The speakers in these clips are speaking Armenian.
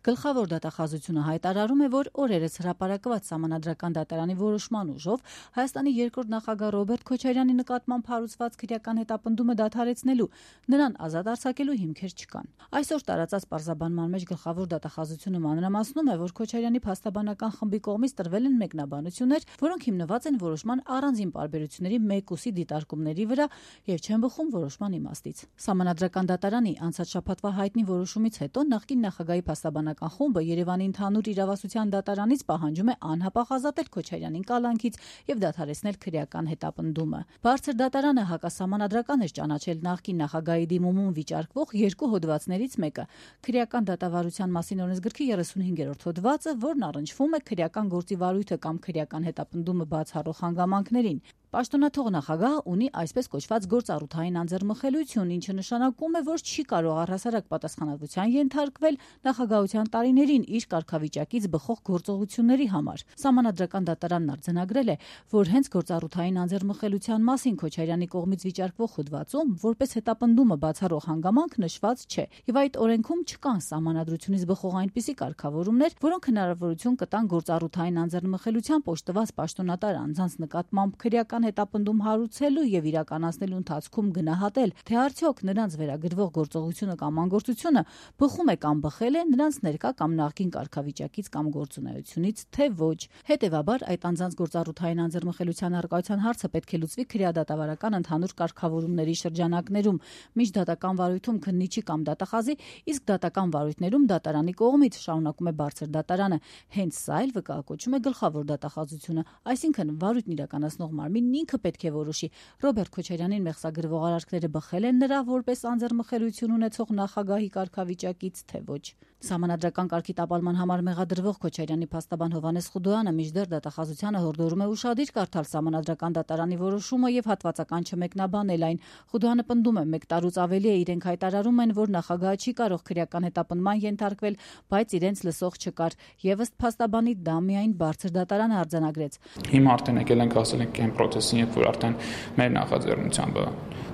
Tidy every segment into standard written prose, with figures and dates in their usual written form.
Գլխավոր դատախազությունը հայտարարում է, որ օրերս հրապարակված Սահմանադրական դատարանի որոշման ուժով Հայաստանի երկրորդ նախագահ Ռոբերտ Քոչարյանի նկատմամբ հարուցված քրեական հետապնդումը դադարեցնելու, նրան ազատ արձակելու հիմքեր չկան։ Այսօր տարածած պարզաբանման մեջ գլխավոր դատախազությունը մանրամասնում է, որ Քոչարյանի փաստաբանական խմբի կողմից տրվել են մեկնաբանություններ, որոնք հիմնված են որոշման առանձին պարբերությունների մեկուսի դիտարկումների վրա եւ չեն բխում որոշման իմաստից։ Սահմանադրական դատարանի անցած շաբաթվա հայտնի որոշումից հետո նախկին նախագահի փաստաբանական խումբը Երևանի ընդհանուր իրավասության դատարանից պահանջում է անհապաղ ազատել Քոչարյանին կալանքից եւ դադարեցնել քրեական հետապնդումը։ Բարձր դատարանը հակասահմանադրական էր ճանաչել նախկին նախագահի դիմումում վիճարկվող երկու հոդվածներից մեկը՝ քրեական դատավարության մասին օրենսգրքի 35-րդ հոդվածը, որն առնչվում է քրեական գործի վարույթը կամ քրեական հետապնդումը բացառող հանգամանքներին։ Պաշտոնաթող նախագահը ունի այսպես կոչված գործառութային անձեռմխելիություն, ինչը նշանակում է, որ չի կարող առհասարակ պատասխանատվության ենթարկվել նախագահության տարիներին իր կարգավիճակից բխող գործողությունների համար։ Սահմանադրական դատարանն արձանագրել է, որ հենց գործառութային անձեռմխելիության մասին Քոչարյանի կողմից վիճարկվող հոդվածում որպես հետապնդումը բացառող հանգամանք նշված չէ, եւ այդ օրենքում չկան սահմանադրությունից բխող այնպիսի կարգավորումներ, որոնք հնարավորություն կտան գործառութային անձեռմխելիությամբ օժտված պաշտոնատար անձանց նկատմամբ քրեական հետապնդում հարուցելու եւ իրականացնելու ընթացքում գնահատել, թե արդյոք նրանց վերագրվող գործողությունը կամ անգործությունը բխում է կամ բխել է նրանց ներկա կամ նախկին կարգավիճակից կամ գործունեությունից, թե ոչ։ Հետևաբար այդ անձանց գործառութային անձեռմխելիության առկայության հարցը պետք է լուծվի քրեադատավարական ընդհանուր կարգավորումների շրջանակներում, միջդատական վարույթում քննիչի կամ դատախազի, իսկ դատական վարույթներում դատարանի կողմից, շարունակում է բարձր դատարանը։ Հենց սա էլ վկայակոչում է գլխավոր դատախազությունը, այսինքն վարույթն իրականացնող մարմին ինքը պետք է որոշի Ռոբերտ Քոչարյանին մեղսագրվող արարքները բխել են նրա որպես անձեռմխելիություն ունեցող նախագահի կարգավիճակից, թե ոչ։ Սահմանադրական կարգի տապալման համար մեղադրվող Քոչարյանի փաստաբան Հովհաննես Խուդոյանը մինչդեռ դատախազությանը հորդորում է ուշադիր կարդալ Սահմանադրական դատարանի որոշումը եւ հատվածական չմեկնաբանել այն։ Խուդոյանը պնդում է, 1 տարուց ավելի է իրենք հայտարարում են, որ նախագահը չի կարող քրեական հետապնդման ենթարկվել, բայց իրենց լսող չկար, եւ ըստ փաստաբանի դա միայն բարձր դատարանը արձանագրեց։ Հիմա արդեն եկել ենք ասել ենք այն պրոցեսին, երբ որ արդեն մեր նախաձեռնությամբ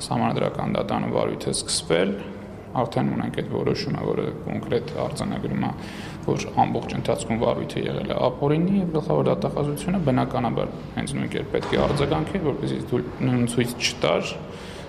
Սահմանադրական դատարանի վարույթը սկսվել, արդեն ունենք այդ որոշումը, որը կոնկրետ արձանագրում է, որ ամբողջ ընթացքում վարույթը եղել է ապօրինի եւ գլխավոր դատախազությունը բնականաբար հենց նույն կերպ պետք է արձագանքի, որպեսզի ցույց չտար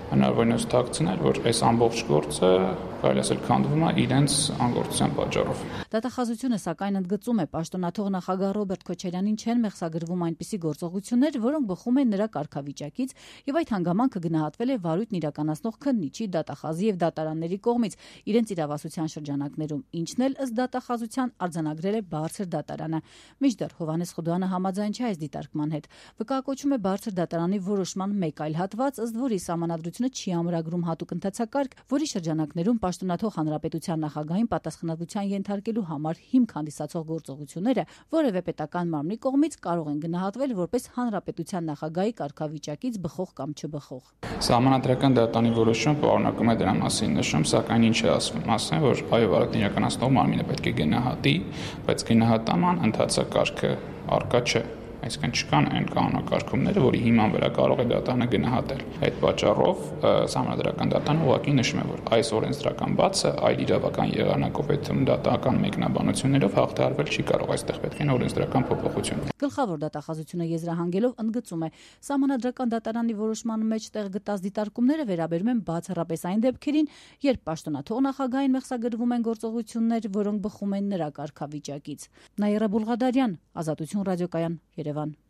հնարավորինս թաքցնել, որ այս ամբողջ գործը կարելի ասել քանդվում է իրենց անգործության պատճառով։ Դատախազությունը սակայն ընդգծում է, պաշտոնաթող նախագահ Ռոբերտ Քոչարյանին չեն մեղսագրվում այնպիսի գործողություններ, որոնք բխում են նրա կարգավիճակից, եւ այդ հանգամանքը գնահատվել է վարույթն իրականացնող քննիչի, դատախազի եւ դատարանների կողմից իրենց իրավասության շրջանակներում, ինչն էլ ըստ դատախազության արձանագրել է բարձր դատարանը։ Մինչդեռ Հովհաննես Խուդոյանը համաձայն չէ այս դիտարկման հետ։ Վկայակոչում է բարձր դատարանի որոշման մեկ այլ հատված, ըստ որի Սահմանադրությունը չի ամրագրում հատուկ ընթացակարգ, որի շրջանակներում պաշտոնաթող հանրապետության նախագահին պատասխանատվության ենթարկելու համար հիմք հանդիսացող գործողությունները որևէ պետական մարմնի կողմից կարող են գնահատվել որպես հանրապետության նախագահի կարգավիճակից բխող կամ չբխող։ Սահմանադրական դատարանի որոշումը պարունակում է դրա մասին նշում, սակայն ինչ է ասվում, ասում է, որ այո, վարույթն իրականացնող մարմինը պետք է գնահատի, բայց գնահատման ընթացակարգը առկա չէ։ Այսինքն չկան այն կանոնակարգումները, որի հիման վրա կարող է դատարանը գնահատել։ Այդ պատճառով Սահմանադրական դատարանը ուղղակի նշում է, որ այս օրենսդրական բացը այլ իրավական եղանակով այդ դատական մեկնաբանություններով հաղթահարվել չի կարող, այստեղ պետք է օրենսդրական փոփոխություն։ Գլխավոր դատախազությունը եզրահանգելով ընդգծում է, Սահմանադրական դատարանի որոշման մեջ տեղ գտած դիտարկումները վերաբերում են բացառապես այն դեպքերին, երբ պաշտոնաթող նախագահին մեղսագրվում են գործողություններ, որոնք բխում են նրա կարգավիճակից։ Նաիրա Բուլղադարյան, Ազատություն ռադիոկայան, Երևան։